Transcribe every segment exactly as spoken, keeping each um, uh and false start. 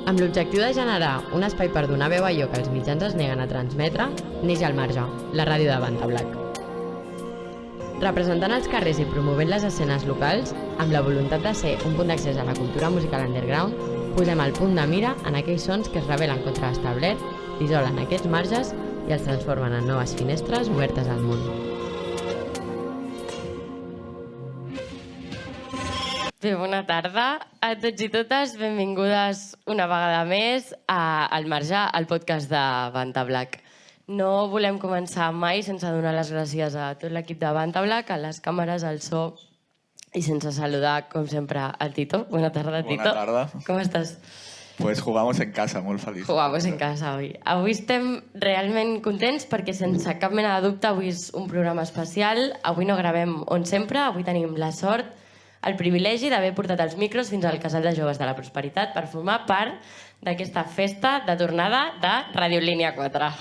Amb l'objectiu de generar un espai per donar veu a allò que els mitjans es neguen a transmetre, neix al Marge, la ràdio de Vanta Black. Representant els carrers i promovent les escenes locals, amb la voluntat de ser un punt d'accés a la cultura musical underground, posem el punt de mira en aquells sons que es rebel·len contra l'establert, isolen aquests marges i els transformen en noves finestres obertes al món. Bé, bona tarda a tots i totes. Benvingudes una vegada més a Al Marge, al podcast de Vanta Black. No volem començar mai sense donar les gràcies a tot l'equip de Vanta Black, a les càmeres, al so, i sense saludar, com sempre, al Tito. Bona tarda, Tito. Bona tarda. Com estàs? Pues jugamos en casa, molt feliç. Jugamos en casa avui. Avui estem realment contents perquè sense cap mena de dubte avui és un programa especial. Avui no gravem on sempre, avui tenim la sort, el privilegi d'haver portat els micros fins al Casal de Joves de la Prosperitat per formar part d'aquesta festa de tornada de Ràdio Línia quatre.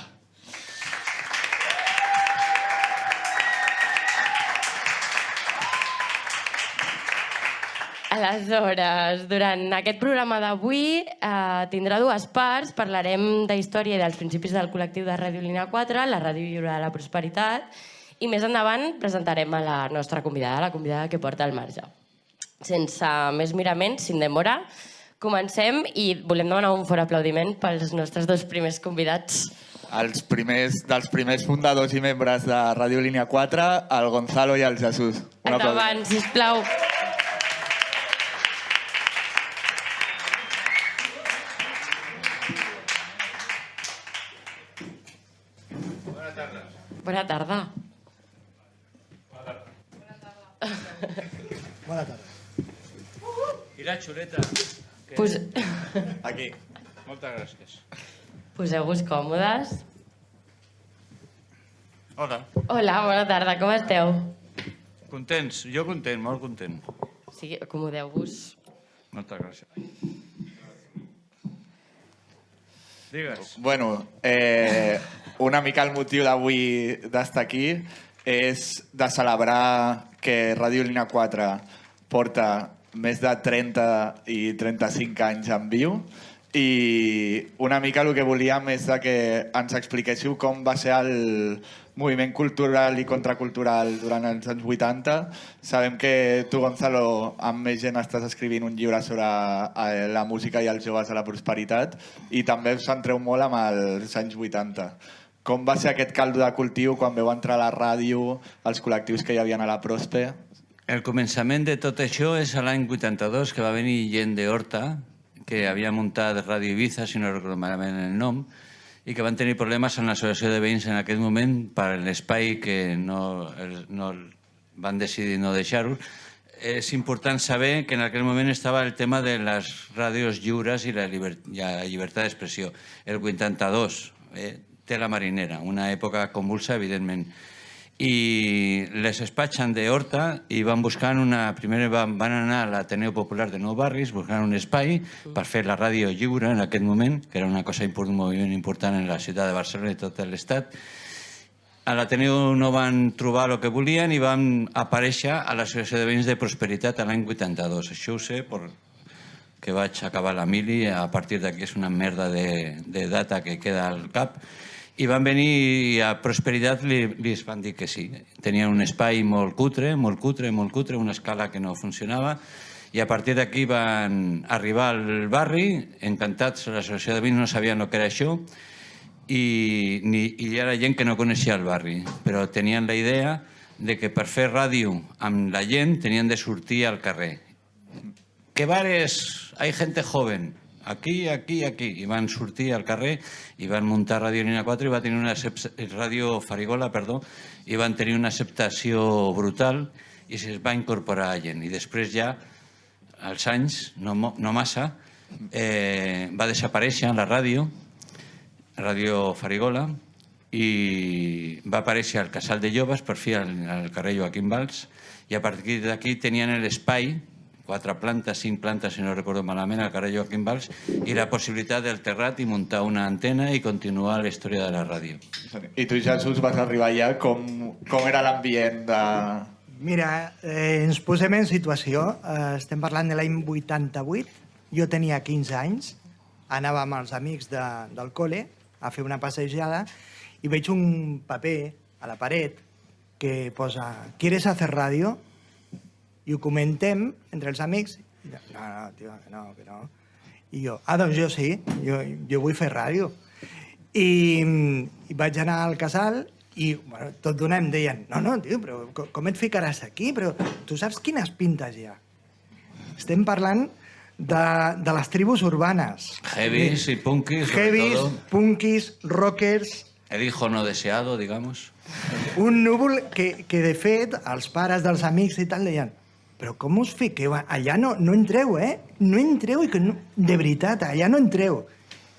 Aleshores, durant aquest programa d'avui eh, tindrà dues parts. Parlarem de història i dels principis del col·lectiu de Ràdio Línia quatre, la Ràdio Lliure de la Prosperitat, i més endavant presentarem a la nostra convidada, la convidada que porta al Marge. Sense més miraments, sin demora, comencem i volem demanar un fort aplaudiment pels nostres dos primers convidats. Els primers, dels primers fundadors i membres de Ràdio Línia quatre, el Gonzalo i el Jesús. Un Endavant, sisplau. Bona tarda. Bona tarda. Bona tarda. I la xuleta. Que... Pos... Aquí. Moltes gràcies. Poseu-vos còmodes. Hola. Hola, bona tarda, com esteu? Contents? Jo content, molt content. Sí, acomodeu-vos. Moltes gràcies. Digues. Bueno, eh, una mica el motiu d'avui d'estar aquí és de celebrar que Ràdio Línia quatre porta més de trenta i trenta-cinc anys en viu i una mica el que volíem és de que ens expliquéssiu com va ser el moviment cultural i contracultural durant els anys vuitanta. Sabem que tu, Gonzalo, amb més gent estàs escrivint un llibre sobre la música i els joves a la prosperitat i també us centreu molt amb els anys vuitanta. Com va ser aquest caldo de cultiu quan veu entrar a la ràdio, els col·lectius que hi havia a la Prospe? El començament de tot això és a l'any vuitanta-dos, que va venir gent d'Horta, que havia muntat Ràdio Ibiza, si no recordo malament el nom, i que van tenir problemes amb l'associació de veïns en aquest moment per l'espai que no, no van decidir no deixar-ho. És important saber que en aquell moment estava el tema de les ràdios lliures i la, lliber, la llibertat d'expressió. El vuitanta-dos, eh, té la Marinera, una època convulsa, evidentment. I les despatxen d'Horta i van buscant una... Primer van, van anar a l'Ateneu Popular de Nou Barris buscant un espai per fer la ràdio lliure en aquest moment, que era una cosa important, un moviment important en la ciutat de Barcelona i tot l'estat. A l'Ateneu no van trobar el que volien i van aparèixer a l'Associació de Veïns de Prosperitat l'any vuitanta-dos. Això ho sé perquè vaig acabar la mili, a partir d'aquí és una merda de, de data que queda al cap. I van venir i a Prosperitat li, li van dir que sí. Tenien un espai molt cutre, molt cutre, molt cutre, una escala que no funcionava, i a partir d'aquí van arribar al barri, encantats, l'associació de veïns no sabien el que era això, i, ni, i hi era gent que no coneixia el barri, però tenien la idea de que per fer ràdio amb la gent tenien de sortir al carrer. ¿Qué bares? Hay gente joven. Aquí, aquí, aquí. I van sortir al carrer i van muntar Ràdio Línia quatre i va tenir una Ràdio Farigola, perdó, i van tenir una acceptació brutal i se'ls va incorporar a gent. I després ja, als anys, no, no massa, eh, va desaparèixer la ràdio, Ràdio Farigola, i va aparèixer al Casal de Joves, per fi al, al carrer Joaquim Valls, i a partir d'aquí tenien l'espai, quatre plantes, cinc plantes, si no recordo malament, al carrer Joaquim Valls, i la possibilitat del terrat i muntar una antena i continuar la història de la ràdio. I tu, Jesús, vas arribar allà, com, com era l'ambient de... Mira, eh, ens posem en situació. Eh, estem parlant de l'any vuitanta-vuit. Jo tenia quinze anys anava amb els amics de, del col·le a fer una passejada i veig un paper a la paret que posa ¿Quieres hacer radio? I ho comentem entre els amics. I jo, no, no, tio, que no, que no. I jo, ah, doncs jo sí, jo, jo vull fer ràdio. I, i vaig anar al casal i bueno, tot d'una em deien, no, no, tio, però com, com et ficaràs aquí? Però tu saps quines pintes hi ha? Estem parlant de, de les tribus urbanes. Heavies y punkis, sobre Heavies, todo. punkis, rockers... El hijo no deseado, digamos. Un núvol que, que, de fet, els pares dels amics i tal deien però com us fiqueu? Allà no, no entreu, eh? No entreu i que no... De veritat, allà no entreu.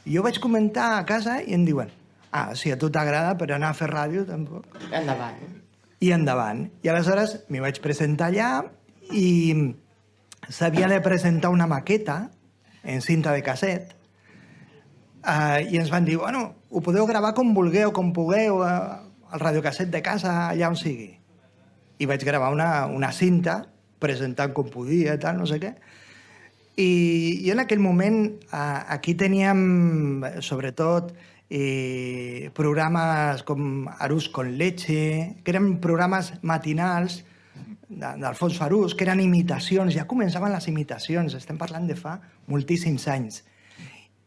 I jo vaig comentar a casa i em diuen ah, si a tu t'agrada, però anar a fer ràdio tampoc. Endavant. I endavant. I aleshores m'hi vaig presentar allà i s'havia de presentar una maqueta en cinta de casset uh, i ens van dir, bueno, ho podeu gravar com vulgueu, com pugueu, uh, al radiocasset de casa, allà on sigui. I vaig gravar una, una cinta presentant com podia, tal, no sé què. I, i en aquell moment uh, aquí teníem, sobretot, eh, programes com Arús con leche, que eren programes matinals d'Alfons Farús, que eren imitacions, ja començaven les imitacions, estem parlant de fa moltíssims anys.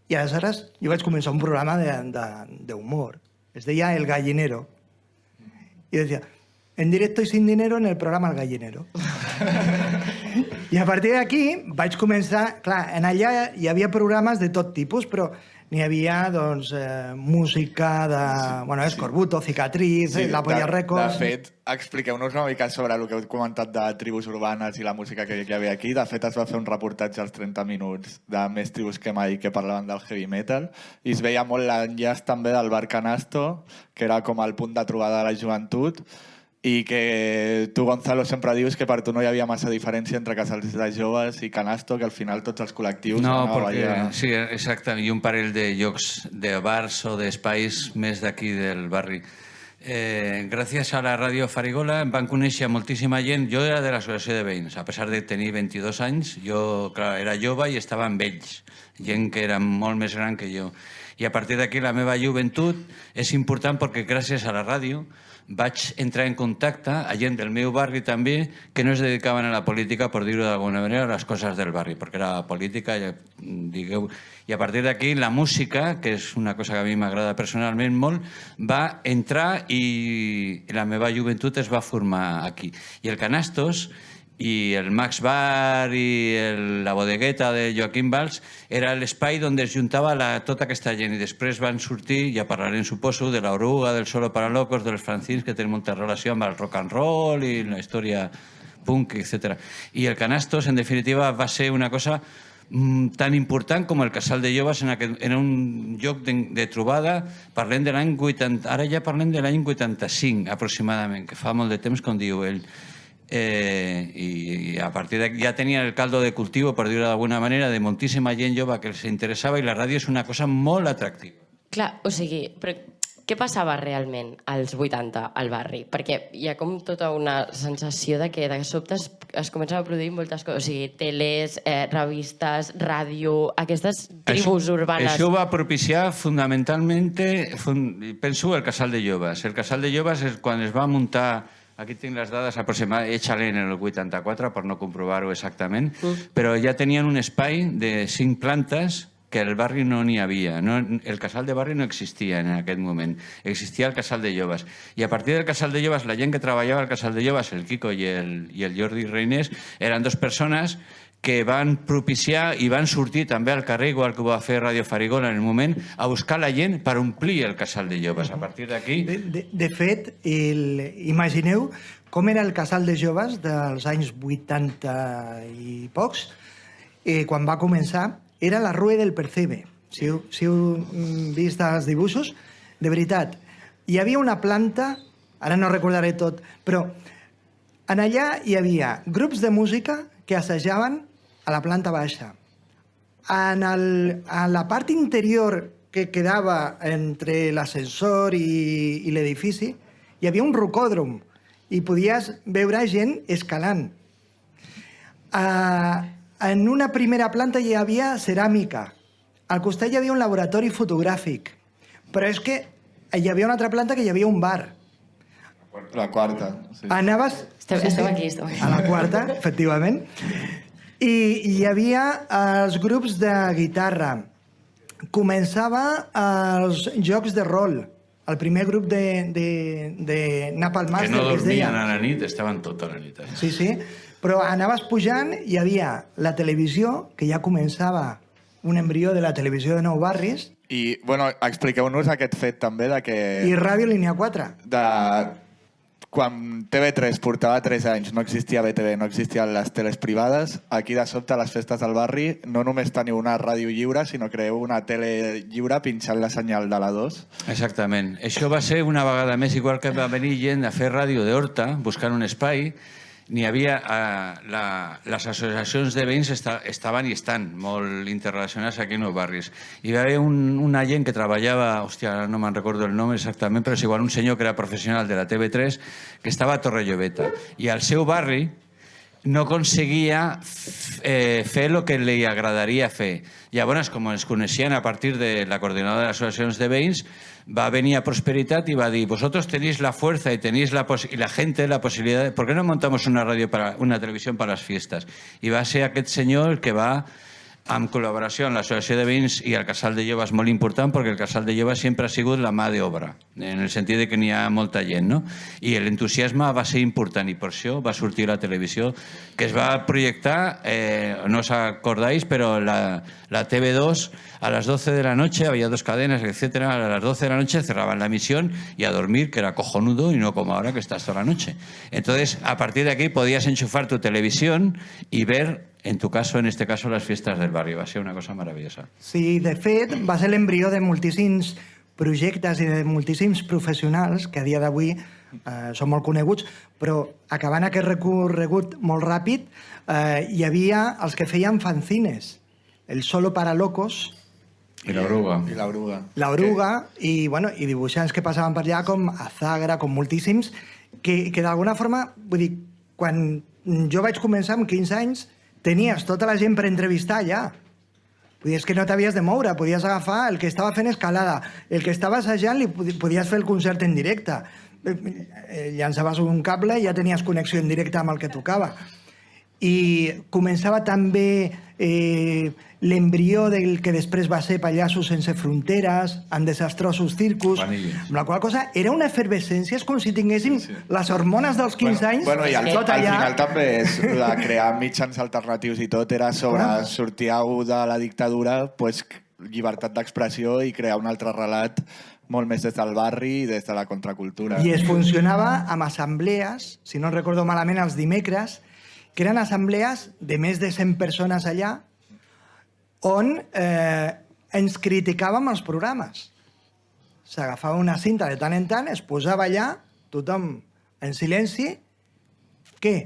I aleshores jo vaig començar un programa d'humor, es deia El Gallinero, i decía, en directo y sin dinero en el programa El Gallinero. I a partir d'aquí vaig començar, clar, en allà hi havia programes de tot tipus, però n'hi havia, doncs, eh, música de, bueno, Escorbuto, Cicatriz, sí, La Polla Records... De fet, expliqueu-nos una mica sobre el que heu comentat de tribus urbanes i la música que hi havia aquí. De fet, es va fer un reportatge als trenta minuts de Més tribus que mai que parlaven del heavy metal i es veia molt l'enllaç també del bar Canasto, que era com el punt de trobada de la joventut, i que tu, Gonzalo, sempre dius que per tu no hi havia massa diferència entre casals de joves i Canasto, que al final tots els col·lectius... No, perquè... allà... sí, exacte, i un parell de llocs de bars o d'espais més d'aquí del barri. Eh, gràcies a la ràdio Farigola em van conèixer moltíssima gent. Jo era de l'associació de veïns, a pesar de tenir vint-i-dos anys, jo clar, era jove i estava amb ells, gent que era molt més gran que jo. I a partir d'aquí la meva joventut és important perquè gràcies a la ràdio vaig entrar en contacte a gent del meu barri també que no es dedicaven a la política, per dir-ho d'alguna manera, a les coses del barri, perquè era política, digueu... I a partir d'aquí la música, que és una cosa que a mi m'agrada personalment molt, va entrar i la meva joventut es va formar aquí. I el Canastos i el Max Bar i el, la bodegueta de Joaquim Valls era l'espai on es juntava la, tota aquesta gent i després van sortir, ja parlarem suposo, de l'Oruga, del Solo para Locos, dels Francins, que tenen molta relació amb el rock and roll i la història punk, etcètera. I el Canastos, en definitiva, va ser una cosa mm, tan important com el Casal de Joves en, aquest, en un lloc de, de trobada. Parlem de l'any vuitanta, ara ja parlem de l'any vuitanta-cinc aproximadament, que fa molt de temps, com diu ell. Eh, i a partir d'aquí ja tenia el caldo de cultivo, per dir-ho d'alguna manera, de moltíssima gent jove que els interessava i la ràdio és una cosa molt atractiva. Clar, o sigui, però què passava realment als vuitanta al barri? Perquè hi ha com tota una sensació de que de sobte es, es comencen a produir moltes coses, o sigui, teles, eh, revistes, ràdio, aquestes tribus això, urbanes... Això va propiciar fundamentalment, fund, penso, el Casal de Joves. El Casal de Joves és quan es va muntar... Aquí tinc les dades aproximades, échale en el vuitanta-quatre per no comprovar-ho exactament, mm. però ja tenien un espai de cinc plantes que al barri no n'hi havia. No, el casal de barri no existia en aquest moment. Existia el casal de joves. I a partir del casal de joves, la gent que treballava al casal de joves, el Quico i el, i el Jordi Reinés, eren dos persones que van propiciar i van sortir també al carrer, igual que ho va fer Radio Farigola en el moment, a buscar la gent per omplir el casal de joves. A partir d'aquí... De, de, de fet, el, imagineu com era el casal de joves dels anys vuitanta i pocs, eh, quan va començar, era la Rue del Percebe. Si heu, si heu vist els dibuixos, de veritat, hi havia una planta, ara no recordaré tot, però en allà hi havia grups de música que assajaven a la planta baixa. En, el, en la part interior que quedava entre l'ascensor i, i l'edifici hi havia un rocòdrom i podies veure gent escalant. Uh, en una primera planta hi havia ceràmica. al costat hi havia un laboratori fotogràfic, però és que hi havia una altra planta que hi havia un bar. La quarta. Sí. Anaves... Estem, estem aquí, estem aquí. A la quarta, efectivament. I hi havia els grups de guitarra. Començava els jocs de rol. El primer grup de, de, de Napalm Master, Que no que es deia. dormien a la nit, estaven tota la nit. Sí, sí. Però anaves pujant, hi havia la televisió, que ja començava un embrió de la televisió de Nou Barris, I, bueno, expliqueu-nos aquest fet també de que... i Ràdio Línia quatre. De... Quan T V tres portava tres anys, no existia B T V, no existien les teles privades, aquí de sobte a les festes del barri no només teniu una ràdio lliure, sinó creeu una tele lliure pinxant la senyal de la dos. Exactament. Això va ser una vegada més, igual que va venir gent a fer ràdio d'Horta, buscant un espai. N'hi havia... Eh, la, les associacions de veïns esta, estaven i estan molt interrelacionades aquí en els barris. Hi va haver un, una gent que treballava, hòstia, ara no me'n recordo el nom exactament, però és igual un senyor que era professional de la T V tres, que estava a Torrelloveta. I al seu barri no aconseguia eh, fer el que li agradaria fer. Llavors, com ens coneixien a partir de la coordinadora de les associacions de veïns, va venir a Prosperitat y va a decir, vosotros tenéis la fuerza y tenéis la y la gente la posibilidad de, ¿por qué no montamos una radio para una televisión para las fiestas? Y va a ser aquest senyor el que va amb col·laboració amb l'Associació de Veïns i el Casal de Joves molt important, perquè el Casal de Joves sempre ha sigut la mà d'obra, en el sentit de que n'hi ha molta gent, no? I l'entusiasme va ser important i per això va sortir la televisió, que es va projectar, eh, no os acordáis, però la, la T V dos a las doce de la noche, había dos cadenas, etcétera, a las doce de la noche cerraban la emisión y a dormir, que era cojonudo y no como ahora que estás toda la noche. Entonces, a partir de aquí podías enchufar tu televisión y ver, en tu caso, en este caso, las fiestas del barrio. Va a ser una cosa maravillosa. Sí, de fet, va ser l'embrió de moltíssims projectes i de moltíssims professionals que a dia d'avui eh, són molt coneguts, però acabant aquest recorregut molt ràpid, eh, hi havia els que feien fanzines, el Solo para Locos, I la Oruga. I la Oruga. La Oruga, i, bueno, i dibuixants que passaven per allà com Azagra, com moltíssims, que, que d'alguna forma, vull dir, quan jo vaig començar amb quinze anys, tenies tota la gent per entrevistar allà. Vull dir, és que no t'havies de moure, podies agafar el que estava fent escalada, el que estava assajant li podies fer el concert en directe. Llançaves un cable i ja tenies connexió en directe amb el que tocava. I començava també eh, l'embrió del que després va ser Pallassos sense fronteres, amb desastrosos circus, Panilles. amb la qual cosa era una efervescència, és com si tinguéssim sí, sí. les hormones dels quinze bueno, anys, bueno, i al, tot al allà. final també és la crear mitjans alternatius i tot era sobre Ah. sortir de la dictadura, pues, llibertat d'expressió i crear un altre relat molt més des del barri i des de la contracultura. I es funcionava amb assemblees, si no recordo malament, els dimecres, que eren assemblees de més de cent persones allà, on eh, ens criticàvem els programes. S'agafava una cinta de tant en tant, es posava allà, tothom en silenci. Què?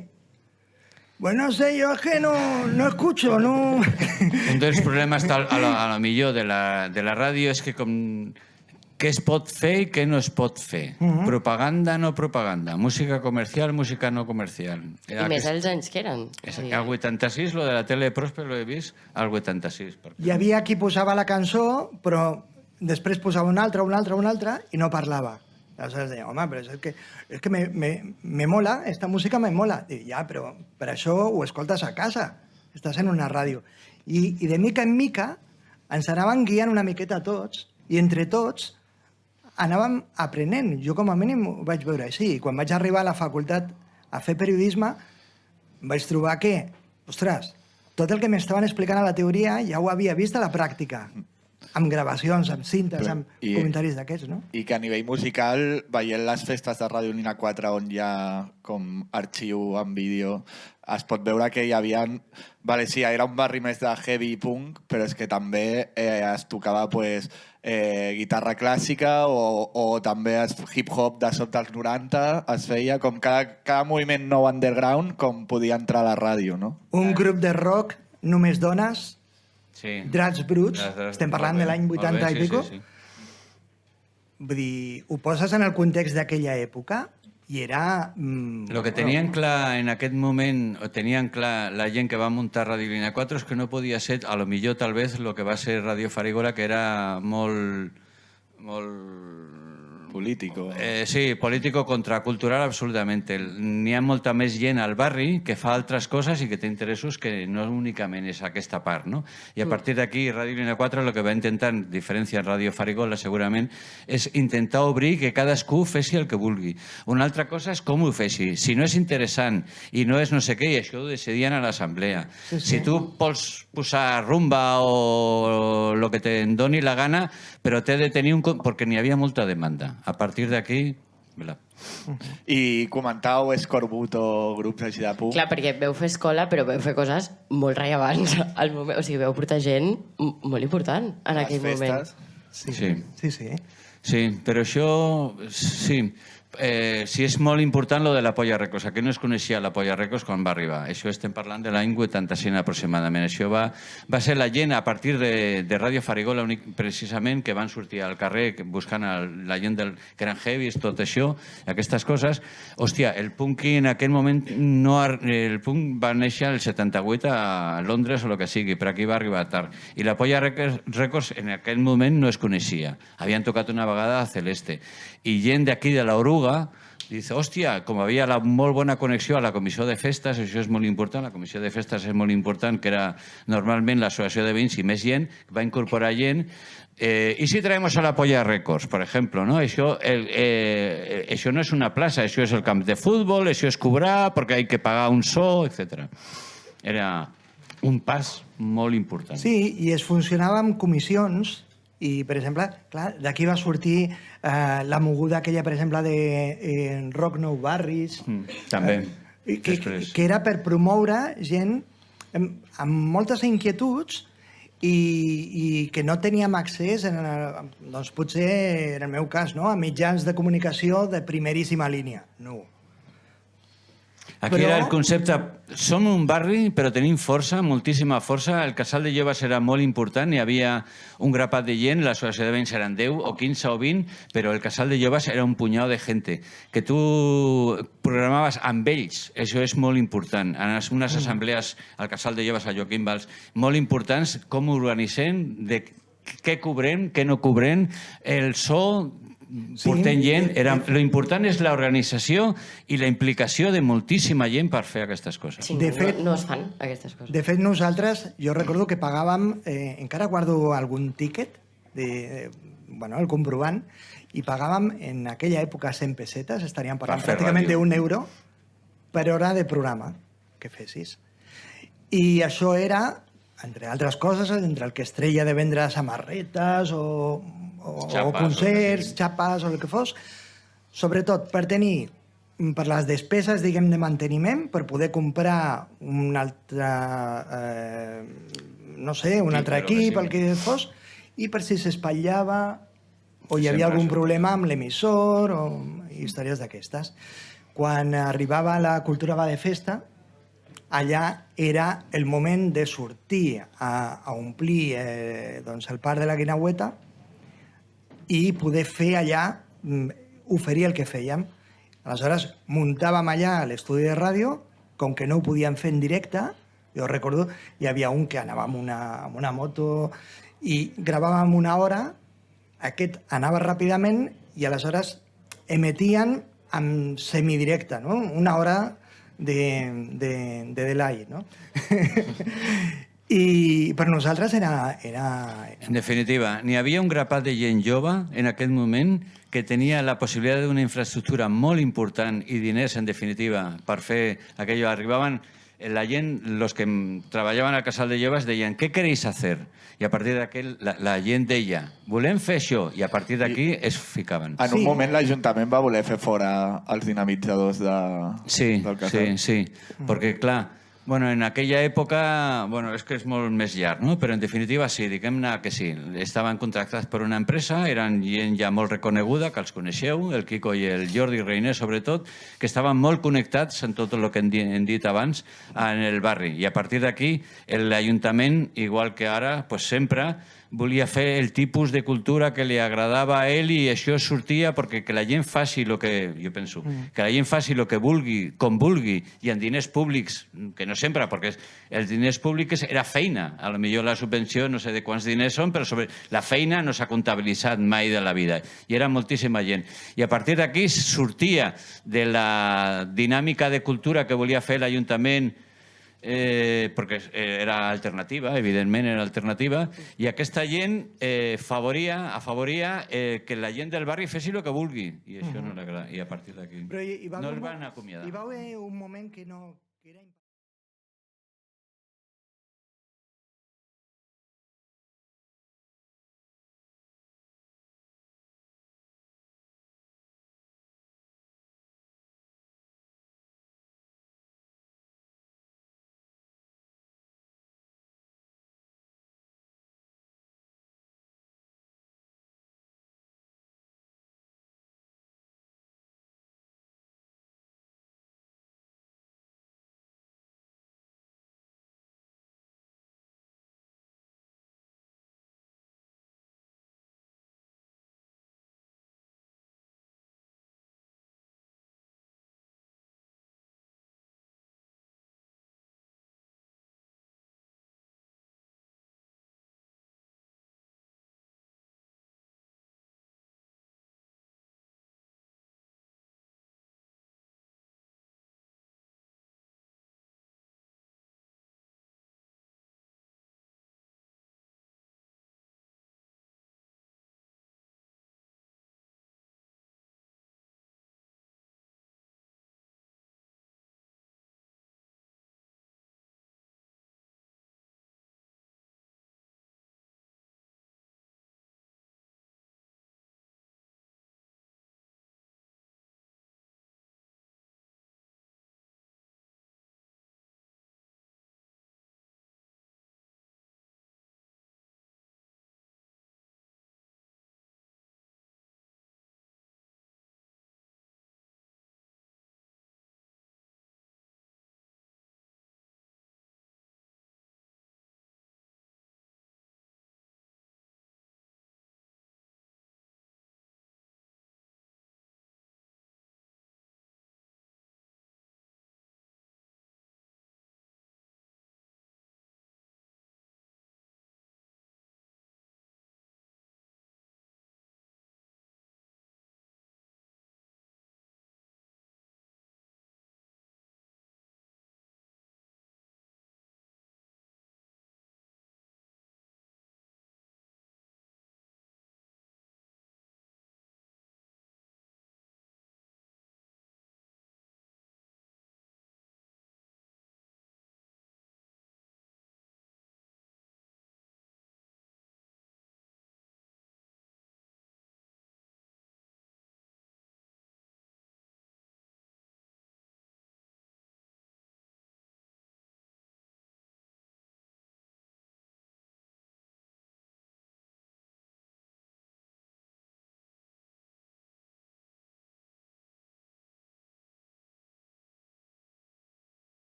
Bueno, no sé, yo es que no, no escucho, no... Un dels problemes tal, a, lo, a lo millor de la, de la ràdio és que com què es pot fer i què no es pot fer. Uh -huh. Propaganda, no propaganda. Música comercial, música no comercial. I més els anys que eren. És, al vuitanta-sis, lo de la tele de Prosper lo he vist al vuitanta-sis. Hi havia qui posava la cançó, però després posava una altra, una altra, una altra, i no parlava. Aleshores deia, home, però és que, és que me, me, me mola, esta música me mola. Dic, ja, però per això ho escoltes a casa, estàs en una ràdio. I, i de mica en mica ens anaven guiant una miqueta tots, i entre tots anàvem aprenent. Jo com a mínim ho vaig veure així. I quan vaig arribar a la facultat a fer periodisme, vaig trobar que, ostres, tot el que m'estaven explicant a la teoria ja ho havia vist a la pràctica, amb gravacions, amb cintes, amb I, comentaris d'aquests, no? I que a nivell musical, veient les festes de Ràdio Lina quatre, on hi ha com arxiu en vídeo, es pot veure que hi havia... Vale, sí, era un barri més de heavy punk, però és que també eh, es tocava pues, eh, guitarra clàssica o, o també es, hip-hop de sota dels noranta, es feia com cada, cada moviment nou underground com podia entrar a la ràdio, no? Un grup de rock, només dones, Sí. Dracs Bruts, estem parlant de l'any vuitanta i sí, pico. sí, sí. Vull dir, ho poses en el context d'aquella època i era... Mm, Lo que tenien clar en aquest moment, o tenien clar la gent que va muntar Radio Línia quatre, és que no podia ser, a lo millor, tal vez, lo que va ser Radio Farigola, que era molt... molt... Político. Eh, sí, político contracultural, absolutament. N'hi ha molta més gent al barri que fa altres coses i que té interessos que no únicament és aquesta part, no? I a partir d'aquí, Radio Línia quatre el que va intentar, en diferència de Radio Farigola, segurament, és intentar obrir que cadascú fessi el que vulgui. Una altra cosa és com ho fessi. Si no és interessant i no és no sé què, i això ho decidien a l'assemblea. Sí, sí. Si tu vols posar rumba o el que te'n doni la gana, però té de tenir un... perquè n'hi havia molta demanda. A partir d'aquí... I comentau escorbuto, grups així de punk. Clar, perquè veu fer escola, però veu fer coses molt rellevants al moment. O sigui, veu portar gent molt important en Les aquell festes. moment. Sí, Sí. sí, sí. Sí, però això... Sí. Eh, sí, és molt important lo de la Polla Records. Aquí no es coneixia la Polla Records quan va arribar. Això estem parlant de l'any vuitanta-cinc aproximadament. Això va, va ser la gent a partir de, de Radio Farigola únic, precisament, que van sortir al carrer buscant el, la gent del, que eren heavies, tot això, aquestes coses. Hòstia, el punk en aquell moment no... El punk va néixer el setanta-vuit a Londres o el que sigui, però aquí va arribar tard. I la Polla Records en aquell moment no es coneixia. Havien tocat una vegada a Celeste. I gent d'aquí de l'Oruga dice, hòstia, com havia la molt bona connexió a la comissió de festes, això és molt important, la comissió de festes és molt important, que era normalment l'associació de veïns i més gent, va incorporar gent. Eh, ¿Y si traemos a la Polla Records, por ejemplo? ¿No? Això, el, eh, això no és una plaça, això és el camp de futbol, això és cobrar, perquè hay que pagar un so, etcètera. Era un pas molt important. Sí, i es funcionava amb comissions i, per exemple, clar, d'aquí va sortir eh, la moguda aquella, per exemple, de eh, Rock Nou Barris. Mm, també, eh, que, després. que era per promoure gent amb, amb moltes inquietuds i, i que no teníem accés, en, doncs potser, en el meu cas, no? A mitjans de comunicació de primeríssima línia. No. Aquí Però... era el concepte, som un barri però tenim força, moltíssima força, el casal de joves era molt important, hi havia un grapat de gent, l'associació de veïns eren deu o quinze o vint, però el casal de joves era un punyau de gente, que tu programaves amb ells, això és molt important, en unes assemblees al casal de joves a Joaquim Valls, molt importants com organitzem, de què cobrem, què no cobrem, el so... portem gent, era, lo important és l'organització i la implicació de moltíssima gent per fer aquestes coses. Sí, De no, fet- no es fan aquestes coses. De fet, nosaltres, jo recordo que pagàvem, eh, encara guardo algun tíquet, de, de, bueno, el comprovant, i pagàvem en aquella època cent pessetes, estaríem parlant Per fer pràcticament ràdio. d'un euro per hora de programa que fessis. I això era, entre altres coses, entre el que es treia de vendre samarretes o, o, Xapes, o concerts, o xapes o el que fos, sobretot per tenir, per les despeses, diguem, de manteniment, per poder comprar un altre, eh, no sé, un Equip, altre el que equip, el sigui. que fos, i per si s'espatllava o hi Sempre havia algun això. problema amb l'emissor o històries d'aquestes. Quan arribava la cultura va de festa, allà era el moment de sortir a, a omplir eh, doncs el parc de la Guinaueta i poder fer allà, mm, oferir el que fèiem. Aleshores, muntàvem allà a l'estudi de ràdio, com que no ho podíem fer en directe, jo recordo, hi havia un que anava amb una, amb una moto i gravàvem una hora, aquest anava ràpidament i aleshores emetien en semidirecte, no? Una hora de, de, de delay, no? I per nosaltres era... era... En definitiva, n'hi havia un grapat de gent jove en aquest moment que tenia la possibilitat d'una infraestructura molt important i diners, en definitiva, per fer aquello. Arribaven la gent, los que treballaven al casal de joves, deien, què queréis hacer? I a partir d'aquell, la, la gent deia, volem fer això, i a partir d'aquí es ficaven. En un Sí. moment l'Ajuntament va voler fer fora els dinamitzadors de, Sí, del sí, casal. sí, perquè clar, bueno, en aquella època, bueno, és que és molt més llarg, no? Però en definitiva sí, diguem-ne que sí. Estaven contractats per una empresa, eren gent ja molt reconeguda, que els coneixeu, el Quico i el Jordi Reiner, sobretot, que estaven molt connectats en tot el que hem di- hem dit abans en el barri. I a partir d'aquí, l'Ajuntament, igual que ara, pues sempre volia fer el tipus de cultura que li agradava a ell i això sortia perquè que la gent faci el que, jo penso, que la gent faci el que vulgui, com vulgui, i en diners públics, que no sempre, perquè els diners públics era feina. A lo millor la subvenció no sé de quants diners són, però sobre la feina no s'ha comptabilitzat mai de la vida. I era moltíssima gent. I a partir d'aquí sortia de la dinàmica de cultura que volia fer l'Ajuntament, eh, perquè era alternativa, evidentment era alternativa, i aquesta gent eh, favoria, afavoria eh, que la gent del barri fessi el que vulgui, i això no l'agrada, i a partir d'aquí no els van acomiadar. Hi va haver un moment que no... Que era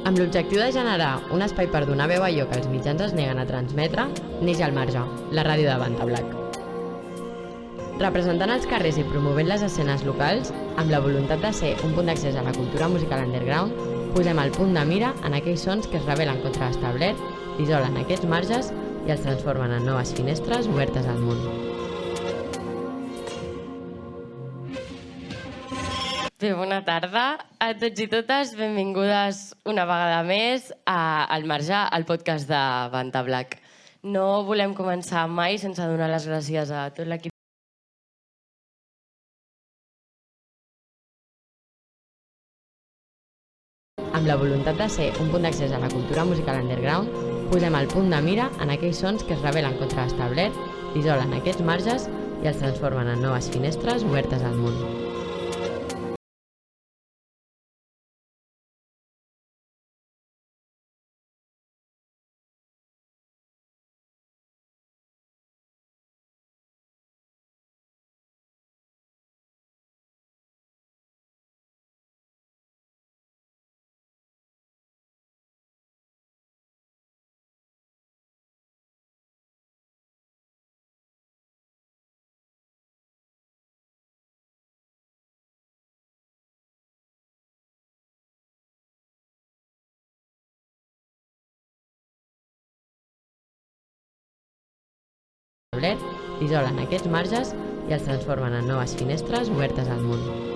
Amb l'objectiu de generar un espai per donar veu a allò que els mitjans es neguen a transmetre, neix al Marge, la ràdio de Vantablac. Representant els carrers i promovent les escenes locals, amb la voluntat de ser un punt d'accés a la cultura musical underground, posem el punt de mira en aquells sons que es rebel·len contra l'establert, isolen aquests marges i els transformen en noves finestres obertes al món. Bé, bona tarda a tots i totes. Benvingudes una vegada més a Al Marge, al podcast de Vantablac. No volem començar mai sense donar les gràcies a tot l'equip Amb la voluntat de ser un punt d'accés a la cultura musical underground, posem el punt de mira en aquells sons que es rebel·len contra l'establert, isolen aquests marges i els transformen en noves finestres obertes al món. Isolen aquests marges i els transformen en noves finestres obertes al món.